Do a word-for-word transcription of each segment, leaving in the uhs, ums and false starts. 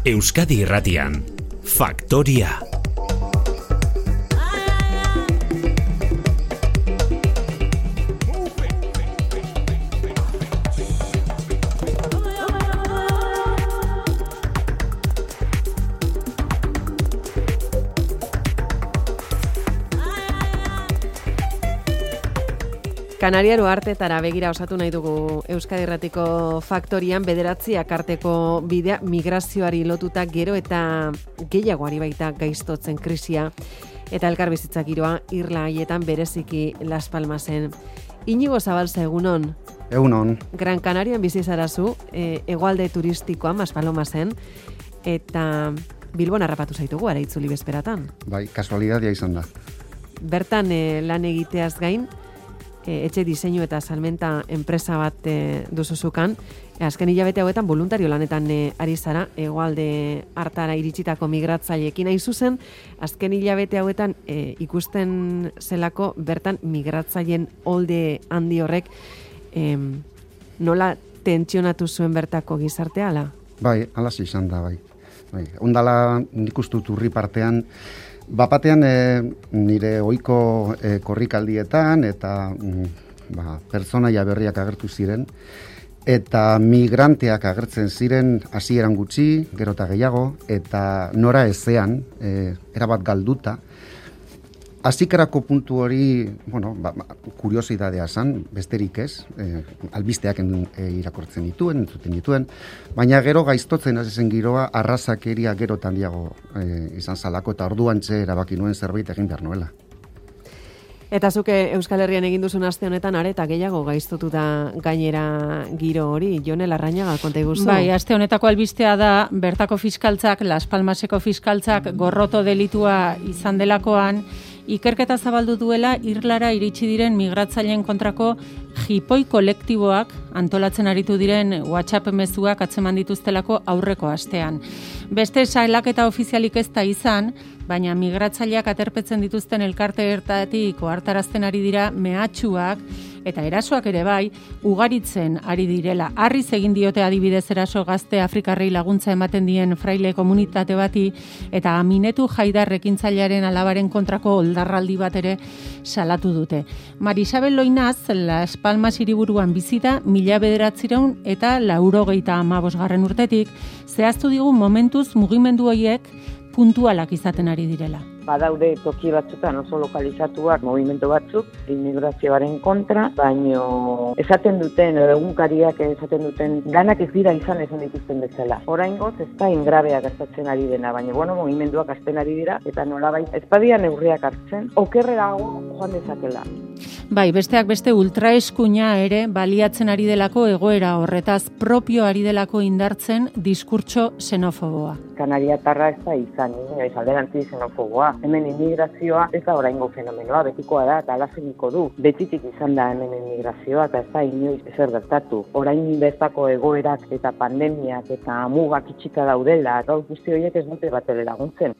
Euskadi Irratian, Faktoria. Kanariaro artetara begira osatu nahi dugu Euskadi Irratiko Faktorian, bederatziak arteko bidea migrazioari lotuta gero eta gehiagoari baita gaiztotzen krisia eta elkarbizitza giroa irla haietan bereziki Las Palmasen. Iñigo Zabalza, egunon. Egunon. Gran Canarian bizi zarazu, e, hegoalde turistikoan Maspalomasen, eta Bilbon harrapatu zaitugu ara itzuli bezperatan. Bai, kasualidadia izan da. Bertan e, lan egiteaz gain, E, etxe diseinu eta salmenta enpresa bat e, duzuzukan. E, azken hilabete hauetan voluntario lanetan e, ari zara, hegoalde hartara iritsitako migratzaileekin hain zuzen, azken hilabete hauetan e, ikusten zelako bertan migratzaileen olde handi horrek e, nola tentsionatu zuen bertako gizartea, ala? Bai, ala izan da, bai. bai. Ondala nik uste dut urri partean, Bapatean e, nire ohiko e, korrikaldietan eta mm, ba, pertsonaia berriak agertu ziren eta migranteak agertzen ziren hasieran gutxi, gero eta gehiago, eta nora ezean, e, erabat galduta. Hasikerako puntu hori, bueno, ba, kuriosidadea zan, besterik ez, e, albisteak en, e, irakortzen dituen, entzuten dituen, baina gero gaiztotzen hasi zen giroa, arrazakeria gero eta handiago e, izan zalako, eta orduantxe erabaki nuen zerbait egin behar nuela. Eta zuke Euskal Herrian egin duzun aste honetan areta gehiago gaiztotuta gainera giro hori, Jone Larrañaga, konta iguzu? Bai, aste honetako albistea da, bertako fiskaltzak, Las Palmaseko fiskaltzak gorroto delitua izan delakoan, ikerketa zabaldu duela irlara iritsi diren migratzaileen kontrako jipoi kolektiboak antolatzen aritu diren WhatsApp mezuak atzeman dituztelako aurreko astean. Beste salaketa ofizialik ez da izan, baina migratzaileak aterpetzen dituzten elkarte ertatik ohartarazten ari dira mehatxuak eta erasoak ere bai, ugaritzen ari direla. Harriz egin diote adibidez eraso gazte Afrikarrei laguntza ematen dien fraile komunitate bati eta Aminetu Haidar ekintzailearen alabaren kontrako oldarraldi bat ere salatu dute. Marisabel Loinaz, Las Palmas hiriburuan bizi da mila bederatziehun eta laurogeita hamabosgarren urtetik, zehaztu digu momentuz mugimendu horiek puntualak izaten ari direla. Badaude toki batzutan oso lokalizatuak movimento batzuk immigrazioaren kontra, baino esaten duten, egunkariak esaten duten, ganak ez dira izan esan dituzten bezala. Oraingoz ez da ingrabea gastatzen ari dena, baina bueno, movimenduak hasten ari dira, eta nolabait ezpadia neurriak hartzen, okerrerago joan dezakela. Bai, besteak beste ultraeskuina ere baliatzen ari delako egoera horretaz propio ari delako indartzen diskurtso xenofoboa. Kanariatarra ez da izan, ez alderantzi xenofoboa. Hemen immigrazioa ez da oraingo fenomenoa, betikoa da eta alazeniko du. Betitik izan da hemen immigrazioa eta ez da inoiz ezer gertatu. Orain bertako egoerak eta pandemiak eta mugak itxita daudela, gaur guzti horiek ez dute batere laguntzen.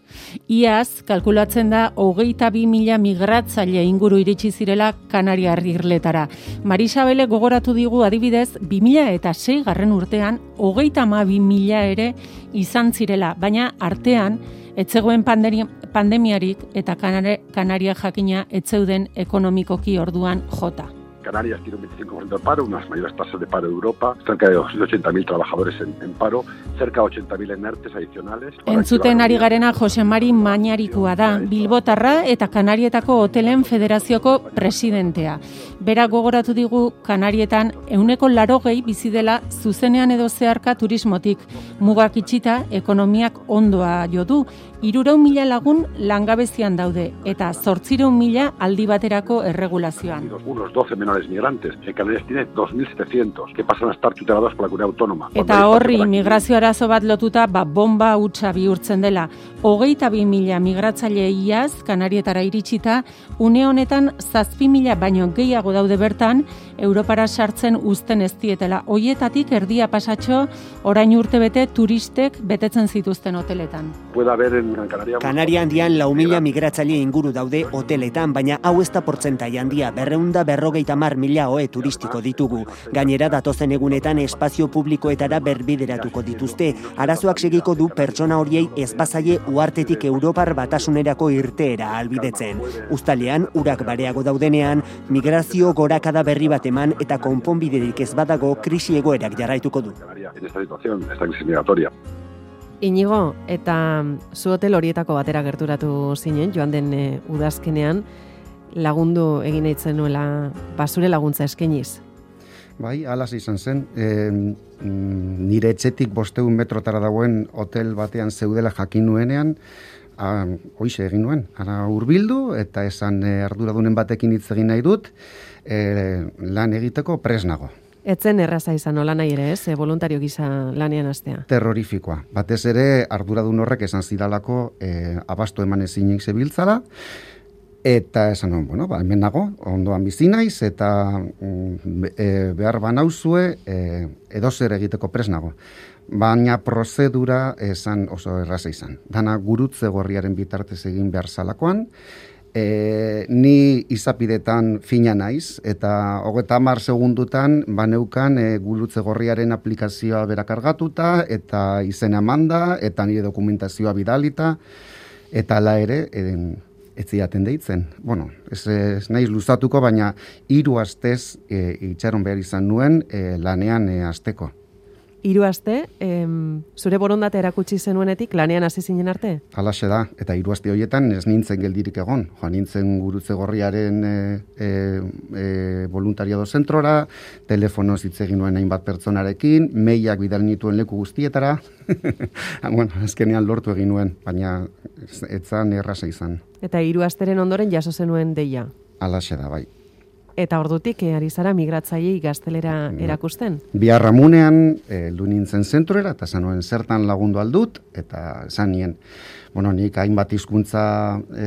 Iaz, kalkulatzen da hogeita bi mila migratzaile inguru iritsi zirela Kanariar irletara. Marisabele gogoratu digu adibidez, bi mila sei garren urtean, hogeita hamabi mila ere izan zirela, baina artean, etzegoen pandemia, pandemiarik eta Kanare, Kanaria jakina etzeuden ekonomikoki orduan jota. Canarias tiene un veinticinco por ciento de paro, unas mayores tasas de paro de Europa, cerca de doscientos ochenta mil trabajadores en, en paro, cerca de ochenta mil en ERTES adicionales. Entzuten ari garena Jose Mari Mañarikua da, Bilbotarra eta Kanarietako Hotelen Federazioko presidentea. Bera gogoratu digu Kanarietan ehuneko larogei bizi dela zuzenean edo zeharka turismotik. Mugak itxita, ekonomiak ondoa jo du. Hirurehun mila lagun langabezian daude eta zortziehun mila aldi baterako erregulazioan. Unos doce menores migrantes. En Canarias tiene dos mil setecientos que pasan a estar tutelados por la comunidad autónoma. Eta horri migrazio arazo bat lotuta ba, bomba hutsa bihurtzen dela. Hogeita bi mila migratzaile iaz Kanarietara iritsita, une honetan zazpi mila baino gehiago daude bertan, Europara sartzen uzten ez dietela. Hoietatik erdia pasatxo orain urtebete turistek betetzen zituzten hoteletan. Puede haber en Kanaria handian lau mila migratzaile inguru daude hoteletan, baina hau ez da portzentai handia, berreunda berrogeita mar mila ohe turistiko ditugu. Gainera datozen egunetan espazio publikoetara berbideratuko dituzte. Arazoak segiko du pertsona horiei ez bazaie uhartetik Europar Batasunerako irteera ahalbidetzen. Uztalean, urak bareago daudenean, migrazio gorakada berri bat eman eta konponbiderik ez badago krisi egoerak jarraituko du. En esta situación, esta crisis migratoria. Inigo, eta zu hotel horietako batera gerturatu zinen, joan den e, udazkenean, lagundu egin nahi zenuela basure laguntza eskainiz. Bai, alas izan zen, e, nire etxetik bosteun metrotara dagoen hotel batean zeudela jakin nuenean, a, hoize egin nuen, ara hurbildu eta esan e, arduradunen batekin hitz egin nahi dut, e, lan egiteko presnago. Etzen erraza izan nola nahi ere, ez, e, voluntario gisa lanean hastea. Terrorifikoa. Batez ere, arduradun horrek esan zidalako e, abasto eman ezinik zebiltzala, eta esan nuen, bueno, ba, hemen nago, ondoan bizi naiz, eta mm, e, behar banauzue e, edozer egiteko presnago. Baina prozedura esan oso erraza izan. Dana gurutze gorriaren bitartez egin behar zalakoan, E, ni izapidetan fina naiz, eta hogeita hamar segundutan baneukan e, gurutze gorriaren aplikazioa berakargatuta, eta izena manda, eta nire dokumentazioa bidalita, eta ala ere, eden, ez ziaten deitzen. Bueno, ez, ez naiz luzatuko, baina hiru astez e, itxaron behar izan nuen e, lanean e, asteko. Hiru aste, em, zure borondate erakutsi zenuenetik lanean hasi zinen arte? Halaxe da, eta hiru aste horietan ez nintzen geldirik egon. Joan nintzen gurutze gorriaren e, e, e, voluntariado zentrora, telefonoz hitz egin nuen hainbat pertsonarekin, mailak bidali nituen leku guztietara, bueno, azkenean lortu egin nuen, baina etzan erraza izan. Eta hiru asteren ondoren jaso zenuen deia? Halaxe da, bai. Eta ordutik e, ari zara migratzailei gaztelera erakusten? Biharramunean heldu nintzen zentrora, eta zanuen zertan lagundu aldut, eta esan nien, bueno, nik hainbat hizkuntza e,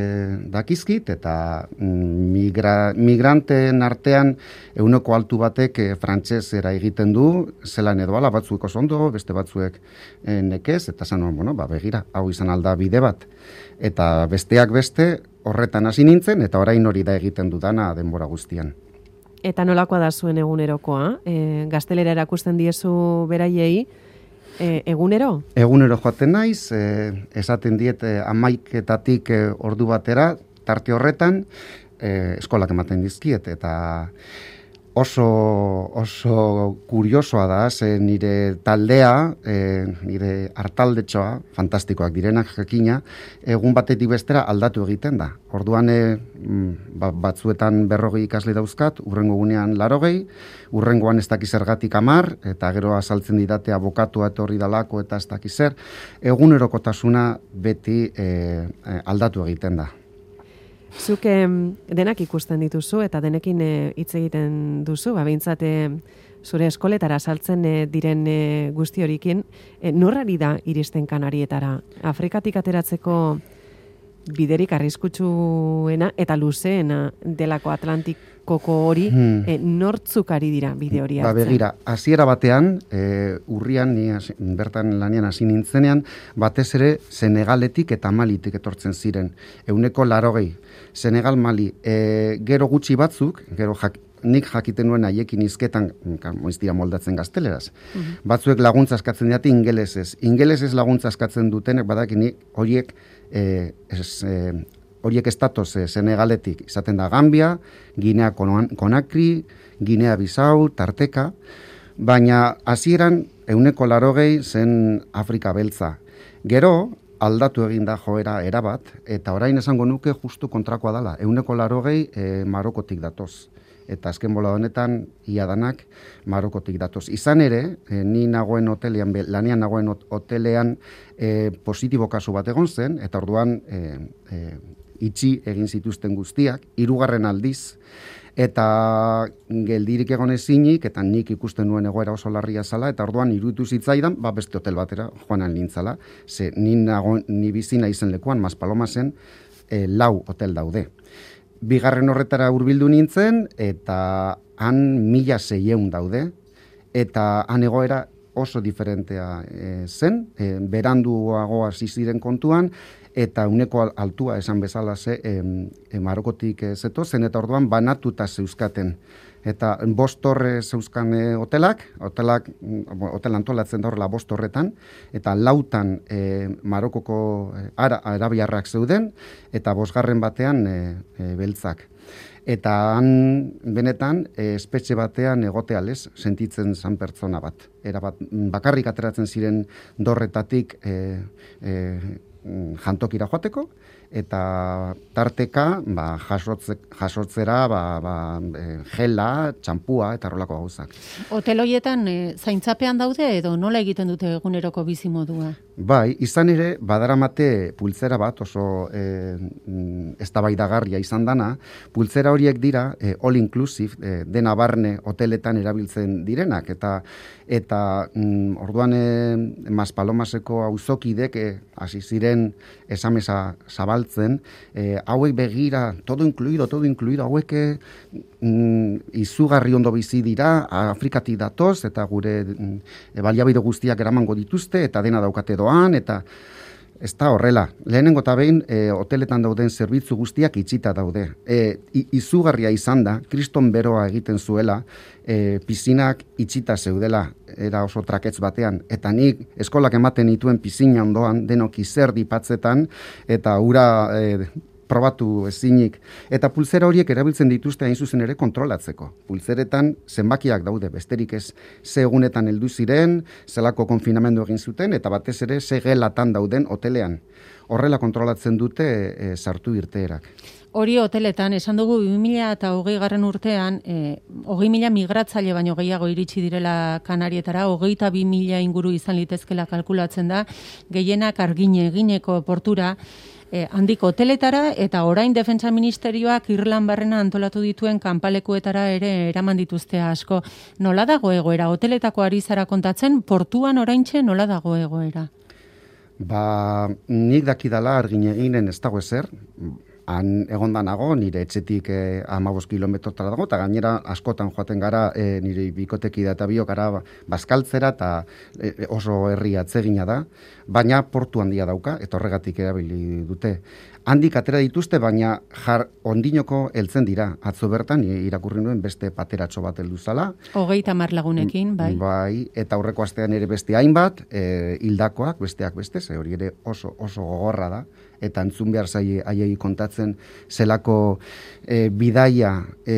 dakizkit, eta migra, migranteen artean euneko altu batek e, frantsesera egiten du, zelan edo ala, batzuek oso ondo, beste batzuek e, nekez, eta zanuen, bueno, ba, begira, hau izan alda bide bat. Eta besteak beste, horretan hasi nintzen, eta orain hori da egiten dudana denbora guztian. Eta nolakoa da zuen egunerokoa? E, gaztelera erakusten diezu beraiei, e, egunero? Egunero joaten naiz, e, esaten diet e, hamaiketatik e, ordu batera, tarte horretan, e, eskolak ematen dizkiet, eta oso, oso kuriosoa da, ze nire taldea, e, nire hartaldetxoa, fantastikoak direnak jakina, egun batetik bestera aldatu egiten da. Orduan e, ba, batzuetan berrogei ikasle dauzkat, urrengo gunean larogei, urrengoan ez dakiz zergatik amar, eta gero azaltzen didate abokatua etorri dalako eta ez dakiz zer, egunerokotasuna beti e, e, aldatu egiten da. Zuk denak ikusten dituzu eta denekin hitz egiten duzu, ba, behintzat zure eskoletara saltzen e, diren e, guzti horikin, e, norrari da iristen Kanarietara? Afrikatik ateratzeko biderik arriskutsuena eta luzeena delako Atlantikoko hori, hmm. e, nortzuk ari dira bide hori hartzen? Ba, begira, hasiera batean, e, urrian, ni as, bertan lanian hasi nintzenean, batez ere Senegaletik eta Malitik etortzen ziren, euneko larogei. Senegal, Mali, e, gero gutxi batzuk, gero jak, nik jakiten nuen haiekin hizketan, moiztira moldatzen gazteleraz. Uh-huh. Batzuek laguntza eskatzen dute ingelesez. Ingelesez laguntza eskatzen dutenek badakini horiek e, es, e, horiek estatoz e, Senegaletik izaten da Gambia, Ginea Konakri, Ginea Bisau, Tarteka, baina hasieran euneko larogei zen Afrika beltza. Gero, aldatu egin da joera erabat, eta orain esango nuke justu kontrakoa dela. Euneko larogei e, Marokotik datoz. Eta azken bola honetan, ia danak Marokotik datoz. Izan ere, e, ni nagoen hotelean, lanean nagoen hotelean e, positibo kasu bat egon zen, eta orduan e, e, itxi egin zituzten guztiak, hirugarren aldiz, eta geldirik egon ezinik, eta nik ikusten nuen egoera oso larria zala, eta orduan iruditu zitzaidan, ba beste hotel batera joan nintzala, ze ni, nago, ni bizina izen lekuan, Maspalomasen, e, lau hotel daude. Bigarren horretara hurbildu nintzen, eta han mila seieun daude, eta han egoera oso diferentea e, zen, e, beranduago hasi ziren kontuan, eta uneko altua esan bezala ze e, e, Marokotik e, zeto, zen eta orduan banatuta zeuzkaten. Eta bost torre zeuzkan e, hotelak, hotelak, hotel antolatzen da horrela bost torretan, eta lautan e, Marokoko e, ara, arabiarrak zeuden, eta bosgarren batean e, e, beltzak. Eta han benetan e, espetxe batean egotealez sentitzen zan pertsona bat. Era bat, bakarrik ateratzen ziren dorretatik e, e, jantokira joateko, eta tarteka ba, jasotze, jasotzera ba, ba, e, gela, txampua eta rolako gauzak. Hotel horietan e, zaintzapean daude edo nola egiten dute eguneroko bizimodua? Bai, izan ere, badaramate pultzera bat oso e, eztabaidagarria izan dana. Pultzera horiek dira e, all inclusive, e, dena barne hoteletan erabiltzen direnak. Eta, eta mm, orduan e, Maspalomaseko auzokidek e, hasi ziren esamesa zabaltzen, e, hauek begira, todo incluido, todo incluido, hauek mm, izugarri ondo bizi dira, Afrikatik datoz, eta gure mm, baliabide guztiak eramango dituzte, eta dena daukate doan, eta ez da horrela. Lehenengo eta behin, e, hoteletan dauden zerbitzu guztiak itxita daude. E, izugarria izan da, kriston beroa egiten zuela, e, pizinak itxita zeudela, era oso traketz batean, eta nik eskolak ematen dituen pizina ondoan, denok izerdi patzetan, eta ura e, probatu ezinik. Eta pulzera horiek erabiltzen dituzte hain zuzen ere kontrolatzeko. Pulzeretan zenbakiak daude, besterik ez ze egunetan heldu ziren, zelako konfinamendu egin zuten, eta batez ere ze gelatan dauden hotelean. Horrela kontrolatzen dute e, sartu irteerak. Hori hoteletan, esan dugu bi mila hogei garren urtean, e, hogei mila migratzaile baino gehiago iritsi direla Kanarietara, hogeita bi mila inguru izan litezkela kalkulatzen da, gehienak argine egineko portura, E, handiko hoteletara eta orain Defentsa Ministerioak Irlan barrena antolatu dituen kanpalekuetara ere eraman dituzte asko. Nola dago egoera? Hoteletako ari zara kontatzen, portuan oraintxe nola dago egoera? Ba, nik dakidala argin eginen ez dago ezer, han egonda nago, nire etxetik eh, hamabost kilometrotara dago, eta gainera askotan joaten gara eh, nire bikoteki da eta biok gara bazkaltzera, eta eh, oso herri atzegina da, baina portu handia dauka, eta horregatik erabili dute. Handik atera dituzte, baina jar ondinoko heltzen dira. Atzo bertan irakurri nuen beste pateratxo bat heldu zala. Hogeita hamar lagunekin, bai. Bai, eta aurreko astean ere beste hainbat, e, hildakoak, besteak beste, ze hori ere oso oso gogorra da, eta entzun behar zaie haiei kontatzen zelako e, bidaia e,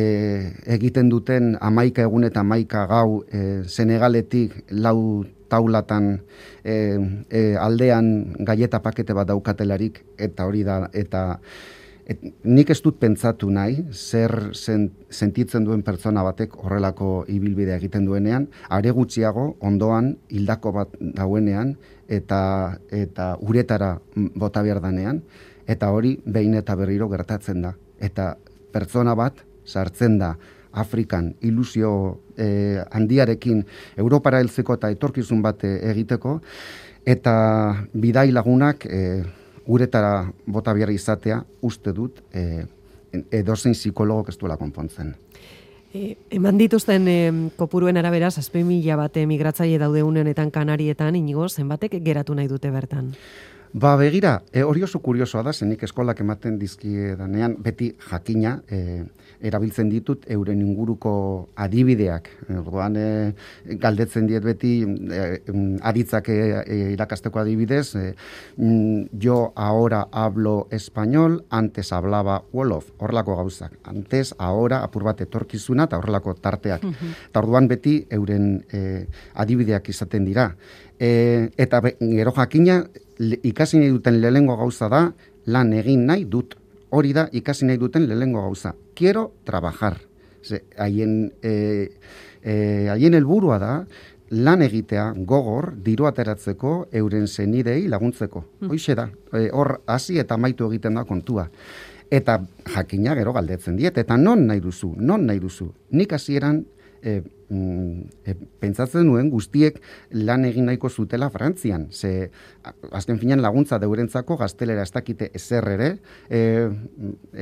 egiten duten hamaika egun eta hamaika gau e, Senegaletik lau taulatan e, e, aldean gaieta pakete bat daukatelarik, eta hori da, eta et, nik ez dut pentsatu nahi, zer zen, sentitzen duen pertsona batek horrelako ibilbidea egiten duenean, are gutxiago ondoan hildako bat dauenean, eta, eta uretara bota behar danean, eta hori behin eta berriro gertatzen da. Eta pertsona bat sartzen da Afrikan ilusio eh, handiarekin Europara heltzeko eta etorkizun bat egiteko, eta bidai lagunak eh, uretara bota behar izatea uste dut eh, edozein psikologok ez duela konpontzen. E, eman dituzten e, kopuruen arabera, zazpi mila bat migratzaile daude une honetan Kanarietan, Inigo, zenbatek geratu nahi dute bertan? Ba, begira, e, hori oso kuriosoa da, zenik eskolak ematen dizkiedanean, beti jakina, e, erabiltzen ditut euren inguruko adibideak. Orduan, e, galdetzen diet beti, e, aditzak e, e, irakasteko adibidez, e, yo ahora hablo español, antes hablaba Wolof, horrelako gauzak. Antes, ahora, apur bat etorkizuna, eta horrelako tarteak. Uh-huh. Eta orduan beti euren e, adibideak izaten dira. E, eta be, gero jakina, ikasi nahi duten lehengo gauza da, lan egin nahi dut. Hori da, ikasi nahi duten lehengo gauza. Quiero trabajar. Ze, haien, e, e, haien helburua da, lan egitea gogor, diru ateratzeko, euren zenidei laguntzeko. Mm. Hoixe da, e, hor hasi eta amaitu egiten da kontua. Eta jakina gero galdetzen diet, eta non nahi duzu, non nahi duzu. Nik hasieran e, e, pentsatzen nuen guztiek lan egin nahiko zutela Frantzian. Ze, azken finean laguntza deurentzako gaztelera ez dakite ezer ere, e,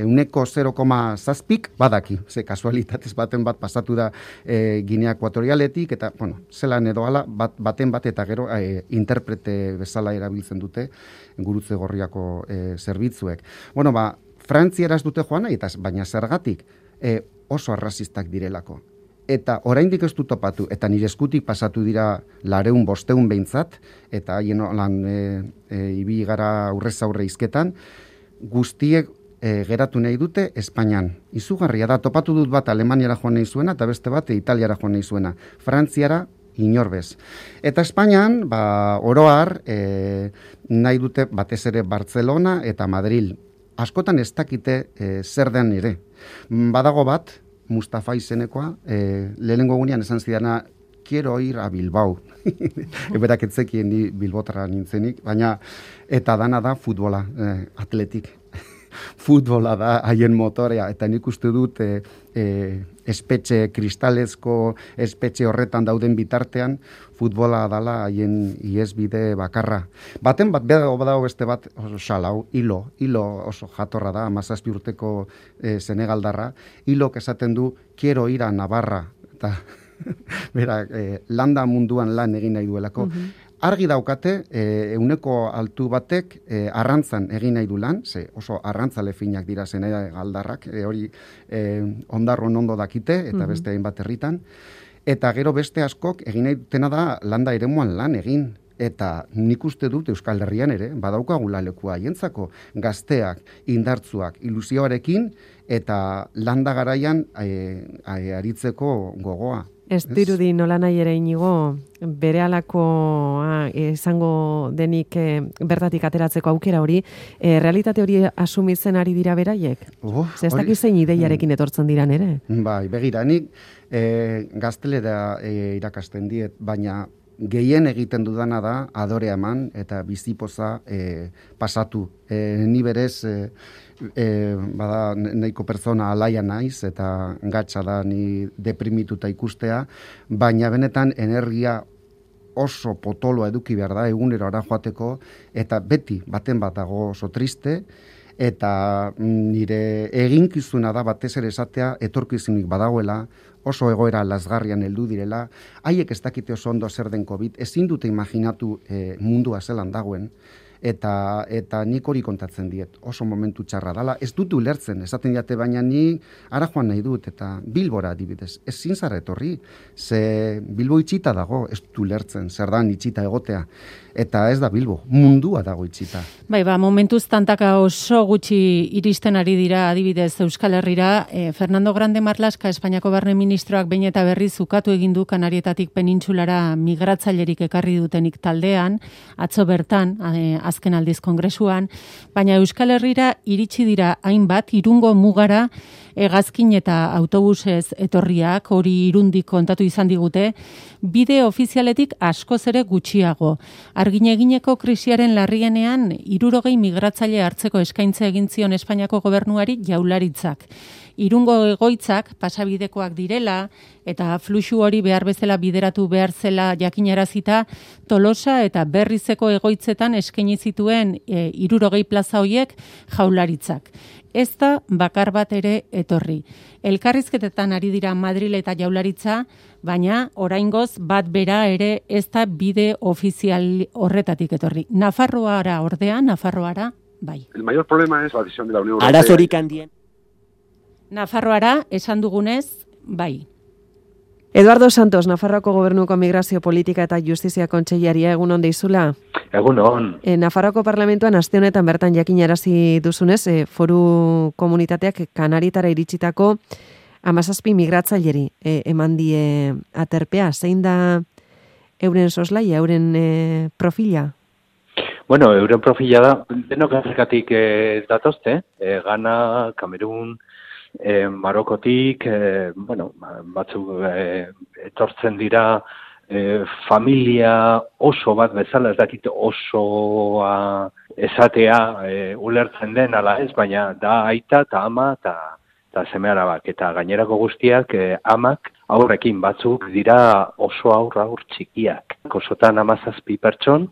euneko zero koma zazpik badaki. Ze kasualitatez baten bat pasatu da e, Ginea Ekuatorialetik, eta, bueno, zelan edo ala, bat, baten bat eta gero e, interprete bezala erabiltzen dute gurutze gorriako e, zerbitzuek. Bueno, ba, Frantziara ez dute joan nahi, eta baina zergatik e, oso arrazistak direlako. Eta oraindik ez du topatu, eta nire eskutik pasatu dira lareun bosteun behintzat, eta haien lan e, e, ibi gara aurrez aurre izketan, guztiek e, geratu nahi dute Espainian. Izugarria da, topatu dut bat Alemaniara joan nahi zuena, eta beste bat Italiara joan nahi zuena. Frantziara inorbez. Eta Espainian, ba, oroar, e, nahi dute batez ere Barcelona eta Madril. Askotan ez dakite e, zer den ere. Badago bat, Mustafa izenekoa, e, lehenengo gunean esan zidana, quiero ir a Bilbao. Eberak etzekien ni Bilbotarra nintzenik, baina eta dana da futbola, e, atletik. Futbola da haien motorea, eta nik uste dut e, e, espetxe kristalezko, espetxe horretan dauden bitartean, futbola dala haien iesbide bakarra. Baten bat, badago badago beste bat, oso xalau, hilo, hilo oso jatorra da, amazazpi urteko e, Senegaldarra, hilo esaten du, quiero ir a Navarra, eta bera, e, landa munduan lan egin nahi duelako. Uh-huh. Argi daukate, e, euneko altu batek e, arrantzan egin nahi du lan, ze oso arrantzale finak dira Senegaldarrak, e, hori e, ondarron ondo dakite, eta uh-huh. beste hainbat herritan, eta gero beste askok egin nahi dutena da landa eremuan lan egin. Eta nik uste dut Euskal Herrian ere, badaukagula lekua haientzako, gazteak, indartzuak, ilusioarekin, eta landa garaian e, e, aritzeko gogoa. Ez dirudi nola nahi ere inigo, bere alako izango denik e, bertatik ateratzeko aukera hori, e, realitate hori asumitzen ari dira beraiek? Oh, ez dakit zein ideiarekin etortzen diran ere? Bai, begira, nik e, gaztelera e, irakasten diet, baina gehien egiten dudana da adorea eman eta bizipoza e, pasatu. E, ni berez, e, e, bada nahiko pertsona alaia naiz eta gatsa da ni deprimituta ikustea, baina benetan energia oso potoloa eduki behar da egunero ara joateko, eta beti baten bat dago oso triste, eta nire eginkizuna da batez ere esatea etorkizunik badagoela, oso egoera lasgarrian heldu direla, haiek ez dakite oso ondo zer den COVID, ezin dute imaginatu e, mundua zelan dagoen, eta eta nik hori kontatzen diet, oso momentu txarra dala, ez dut ulertzen, esaten diate, baina ni ara joan nahi dut, eta Bilbora adibidez, ez zintzara etorri, ze Bilbo itxita dago, ez dut ulertzen, zer da itxita egotea, eta ez da Bilbo, mundua dago itxita. Bai, ba, momentuz tantaka oso gutxi iristen ari dira adibidez Euskal Herrira, e, Fernando Grande Marlaska, Espainiako Barne Ministroak behin eta berriz ukatu egin du Kanarietatik penintsulara migratzailerik ekarri dutenik taldean, atzo bertan, e, azken aldiz kongresuan, baina Euskal Herrira iritsi dira hainbat Irungo mugara hegazkin eta autobusez etorriak, hori Irundik kontatu izan digute, bide ofizialetik askoz ere gutxiago. Arginegineko krisiaren larrienean hirurogei migratzaile hartzeko eskaintza egin zion Espainiako gobernuari Jaurlaritzak. Irungo egoitzak pasabidekoak direla eta fluxu hori behar bezala bideratu behar zela jakinarazita Tolosa eta Berrizeko egoitzetan eskaini zituen e, hirurogei plaza hoiek Jaurlaritzak. Ez da bakar bat ere etorri. Elkarrizketetan ari dira Madril eta Jaurlaritza, baina oraingoz bat bera ere ez da bide ofizial horretatik etorri. Nafarroara ordea, Nafarroara, bai. El mayor problema es la decisión de la Unión Europea. Arazorik handien. Nafarroara, esan dugunez, bai. Eduardo Santos, Nafarroako Gobernuko Migrazio Politika eta Justizia Kontseilaria, egun on deizula. Egun on. E, Nafarroako Parlamentuan aste honetan bertan jakinarazi duzunez, e, foru komunitateak Kanaritara iritsitako hamazazpi migratzaileri e, eman die aterpea. Zein da euren soslaia, euren e, profila? Bueno, euren profila da, denok Afrikatik e, datozte, e, Ghana, Kamerun, E, Marokotik, e, bueno, batzuk e, etortzen dira e, familia oso bat bezala, ez dakit osoa esatea e, ulertzen den ala ez, baina da aita eta ama eta eta seme alabak, eta gainerako guztiak e, amak aurrekin batzuk dira oso aurra aur txikiak. Osotan hamazazpi pertson,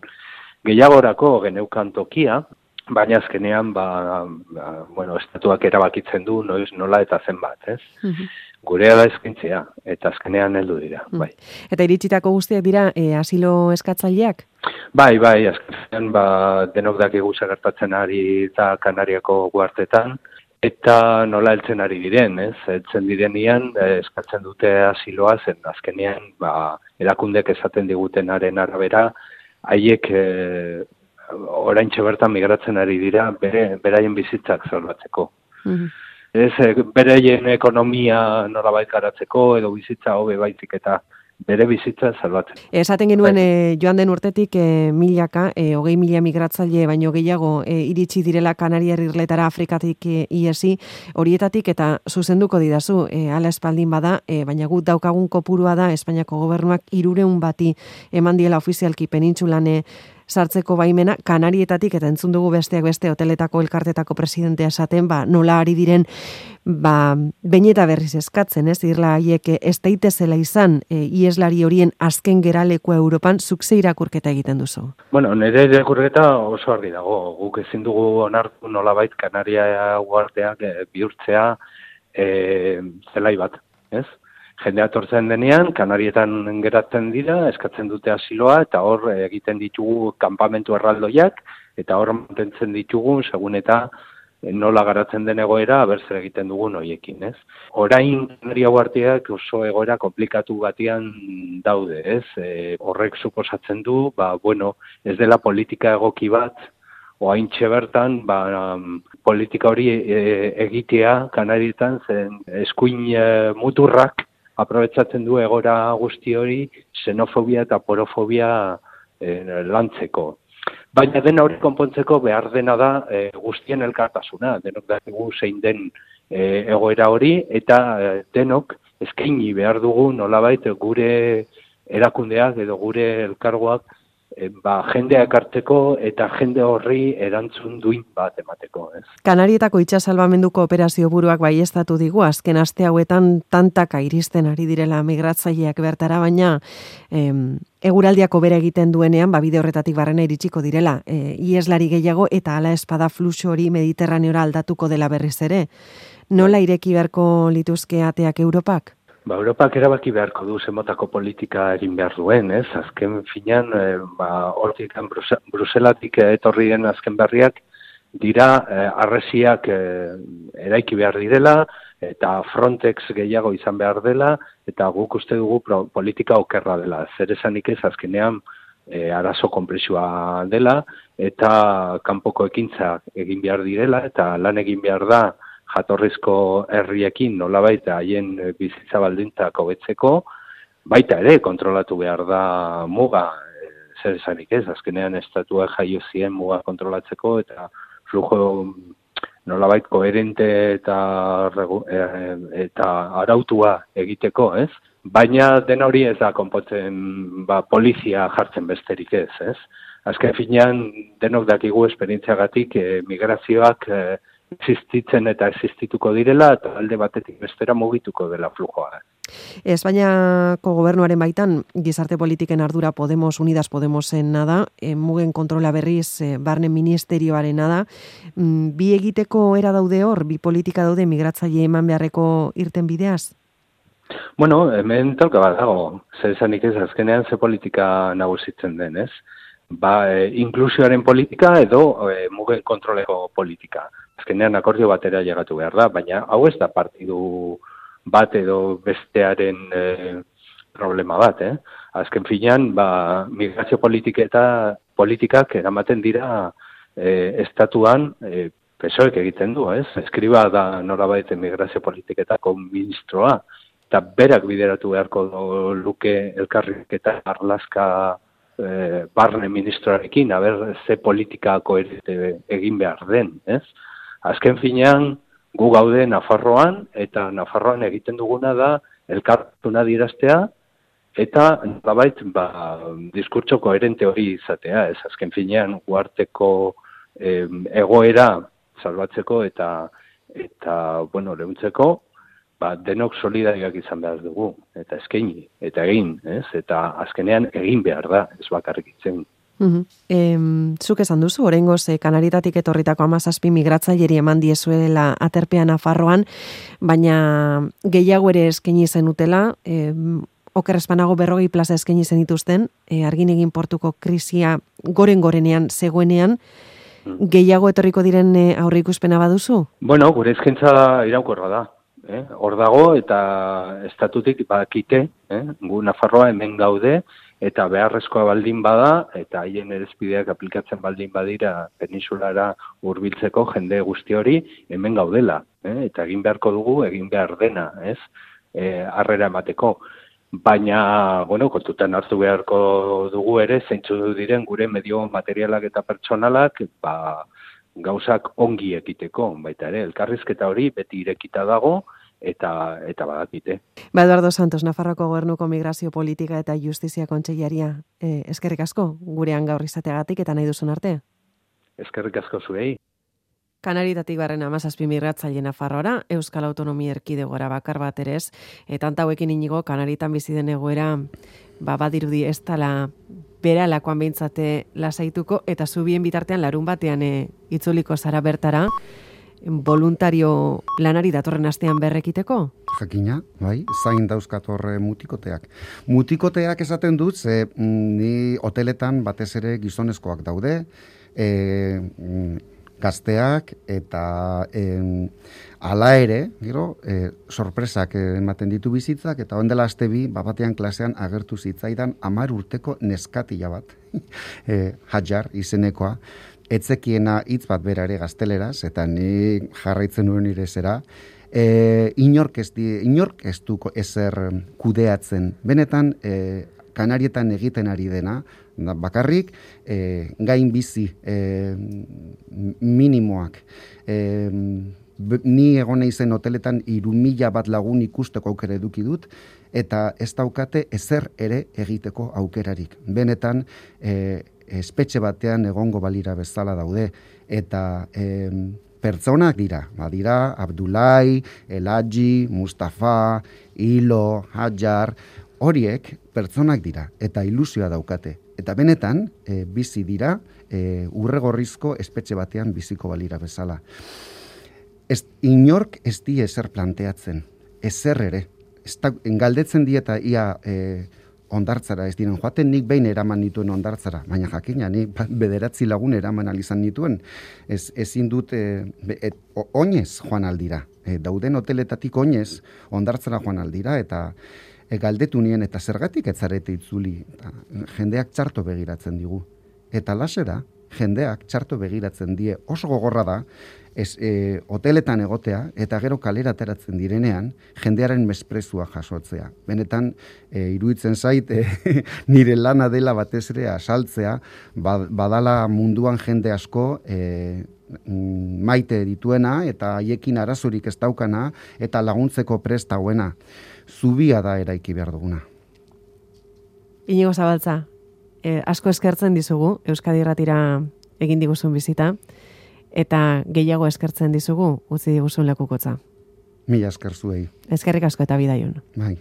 gehiagorako geneukan tokia, baina azkenean, ba, ba, bueno, estatuak erabakitzen du noiz nola eta zenbat, ez? Mm-hmm. Gurea da eskintzea, eta azkenean heldu dira, mm. bai. Eta iritsitako guztiak dira e, asilo eskatzaileak? Bai, bai, azkenean ba, denok dakigu gertatzen ari eta Kanariako guartetan, eta nola heltzen ari diren, ez? Heltzen direnian, eh, eskatzen dute asiloa, zen azkenean, ba, erakundek esaten digutenaren arabera, haiek eh, oraintxe bertan migratzen ari dira, bere, beraien bizitzak salbatzeko. Mm-hmm. Ez, beraien ekonomia nolabait garatzeko, edo bizitza hobe baizik eta bere bizitza salbatzen. Esaten genuen e, joan den urtetik e, milaka, e, hogei mila migratzaile baino gehiago e, iritsi direla Kanariar Irletara Afrikatik e, iesi, horietatik eta zuzenduko didazu, e, ala espaldin bada, e, baina gut daukagun kopurua da Espainiako gobernuak hirurehun bati eman diela ofizialki penintsulan e, sartzeko baimena, Kanarietatik, eta entzun dugu besteak beste hoteletako elkartetako presidentea esaten, ba, nola ari diren, ba, behin eta berriz eskatzen, ez, irla haiek ez daitezela izan, e, ieslari horien azken geralekua Europan, zuk ze irakurketa egiten duzu? Bueno, nire irakurketa oso argi dago, guk ezin dugu onartu nolabait Kanaria guarteak e, bihurtzea e, zelai bat, ez? Jendea etortzen denean, Kanarietan geratzen dira, eskatzen dute asiloa, eta hor egiten ditugu kanpamentu erraldoiak, eta hor mantentzen ditugu, segun eta nola garatzen den egoera, abertzer egiten dugun hoiekin, ez? Orain Kanaria guarteak oso egoera komplikatu batean daude, ez? E, horrek suposatzen du, ba, bueno, ez dela politika egoki bat, oaintxe bertan, ba, um, politika hori e, egitea Kanarietan zen eskuin e, muturrak, aprobetsatzen du egora guzti hori xenofobia eta porofobia eh, lantzeko. Baina dena hori konpontzeko behar dena da eh, guztien elkartasuna, denok dakigu zein den eh, egoera hori, eta eh, denok eskaini behar dugu nolabait gure erakundeak edo gure elkargoak eh, ba, jendea ekartzeko eta jende horri erantzun duin bat emateko. Ez? Kanarietako itsasalbamenduko operazio buruak baieztatu digu, azken aste hauetan tantaka iristen ari direla migratzaileak bertara, baina em, eguraldiako bere egiten duenean, ba, bide horretatik barrena iritsiko direla. E, ieslari gehiago eta hala espada fluxu hori Mediterraneora aldatuko dela berriz ere. Nola ireki beharko lituzke ateak Europak? Ba, Europak erabaki beharko du zenbatako politika egin behar duen, ez? Azken finean, e, ba, hortik Bruselatik etorri den azken berriak dira e, arresiak e, eraiki behar direla, eta Frontex gehiago izan behar dela, eta guk uste dugu pro, politika okerra dela. Zer esanik ez azkenean e, arazo konplexua dela, eta kanpoko ekintza egin behar direla, eta lan egin behar da, jatorrizko herriekin nolabait haien bizitza baldintzak hobetzeko, baita ere kontrolatu behar da muga, e, zer esanik ez, azkenean estatua jaio zien muga kontrolatzeko, eta flujo nolabait koherente eta, e, eta arautua egiteko, ez? Baina den hori ez da konpontzen ba, polizia jartzen besterik ez, ez? Azken finean denok dakigu esperientziagatik e, migrazioak e, existitzen eta existituko direla, eta alde batetik bestera mugituko dela flujoa. Espainiako gobernuaren baitan, gizarte politiken ardura Podemos, Unidas Podemosen nada, e, mugen kontrola berriz e, barne ministerioaren nada, mm, bi egiteko era daude hor, bi politika daude migratzaile eman beharreko irten bideaz? Bueno, hemen talka bat dago, zer esanik ez azkenean ze politika nagusitzen den, ez? Ba, e, inklusioaren politika edo e, mugen kontroleko politika. Azkenean akordio batera llegatu behar da, baina hau ez da partidu bat edo bestearen e, problema bat, eh? Azken finean, ba, migrazio politiketa, politikak eramaten dira e, estatuan e, P S O E k egiten du, ez? Eskriba da norabait migrazio politiketako ministroa, eta berak bideratu beharko luke elkarriketa arlaska e, barne ministroarekin, haber ze politika koherente egin behar den, ez? Azken finean, gu gaude Nafarroan, eta Nafarroan egiten duguna da elkartuna diraztea, eta nolabait ba, diskurtso koherente hori izatea, ez azken finean uarteko eh, egoera salbatzeko eta eta bueno, leuntzeko, ba, denok solidarioak izan behar dugu, eta eskaini, eta egin, ez? Eta azkenean egin behar da, ez bakarrik itzen. Uhum. E, zuk esan duzu, oraingoz e, Kanaritatik etorritako hamazazpi migratzaileri eman diezuela aterpean Nafarroan, baina gehiago ere eskaini zenutela, e, oker espanago berrogei plaza eskaini zenituzten, e, Arginegin portuko krisia goren-gorenean zegoenean, gehiago etorriko diren e, aurreikuspena baduzu? Bueno, gure eskaintza iraunkorra da. Eh? Hor dago eta estatutik bakite, eh? gu Nafarroa hemen gaude, eta beharrezkoa baldin bada, eta haien erizpideak aplikatzen baldin badira peninsulara hurbiltzeko jende guzti hori hemen gaudela. Eh? Eta egin beharko dugu, egin behar dena, ez? Eh, harrera emateko. Baina, bueno, kontutan hartu beharko dugu ere, zeintzu diren gure medio materialak eta pertsonalak, ba, gauzak ongi ekiteko, baita ere, elkarrizketa hori beti irekita dago, eta eta badakite. Ba, Eduardo Santos, Nafarroako Gobernuko Migrazio Politika eta Justizia Kontseilaria, eh, eskerrik asko gurean gaur izateagatik eta nahi duzun arte. Eskerrik asko zuei. Kanaritatik barren hamazazpi migratzaile Nafarroara, Euskal Autonomia Erkidegora bakar bat ere ez, eta hauekin inigo Kanaritan bizi den egoera, ba, badirudi ez dala beralakoan behintzate lasaituko, eta zubien bitartean larun batean e, itzuliko zara bertara, voluntario lanari datorren astean berrekiteko? Jakina, bai, zain dauzkat horre mutikoteak. Mutikoteak esaten dut, ze ni hoteletan batez ere gizonezkoak daude, e, gazteak eta e, ala ere, gero, e, sorpresak ematen ditu bizitzak, eta ondela aste bi, batean klasean agertu zitzaidan hamar urteko neskatila bat, e, Hajar izenekoa, etzekiena hitz bat bera ere gazteleraz, eta ni jarraitzen nuen nire zera, e, inork, ez di, inork ez duko ezer kudeatzen. Benetan, e, Kanarietan egiten ari dena, bakarrik, e, gain bizi e, minimoak. E, ni egon naizen hoteletan hiru mila bat lagun ikusteko aukera eduki dut, eta ez daukate ezer ere egiteko aukerarik. Benetan, e, espetxe batean egongo balira bezala daude, eta e, pertsonak dira, badira Abdulai, Elaji, Mustafa, Ilo, Hajar, horiek pertsonak dira, eta ilusioa daukate. Eta benetan, e, bizi dira, e, urregorrizko espetxe batean biziko balira bezala. Ez, inork ez die ezer planteatzen, ezer ere. Ez da, galdetzen dieta ia e, ondartzara, ez diren joaten nik behin eraman nituen ondartzara, baina jakina, nik bederatzi lagun eraman alizan nituen, ez, ezin dut e, et, oinez joan aldira. E, dauden hoteletatik oinez ondartzara joan aldira, eta e, galdetu nien, eta zergatik etzarete itzuli, eta jendeak txarto begiratzen digu. Eta lasera, jendeak txarto begiratzen die, oso gogorra da, ez, e, hoteletan egotea, eta gero kalera ateratzen direnean, jendearen mesprezua jasotzea. Benetan, e, iruditzen zait, e, nire lana dela batez ere asaltzea, badala munduan jende asko e, maite dituena, eta haiekin arazorik ez daukana, eta laguntzeko prest hauena. Zubia da eraiki behar duguna. Inigo Zabaltza, eh, asko eskertzen dizugu, Euskadi Irratira egin diguzun bizita, eta gehiago eskertzen dizugu, utzi diguzun lekukotza. Mila esker zuei. Eskerrik asko eta bidaion. Bai.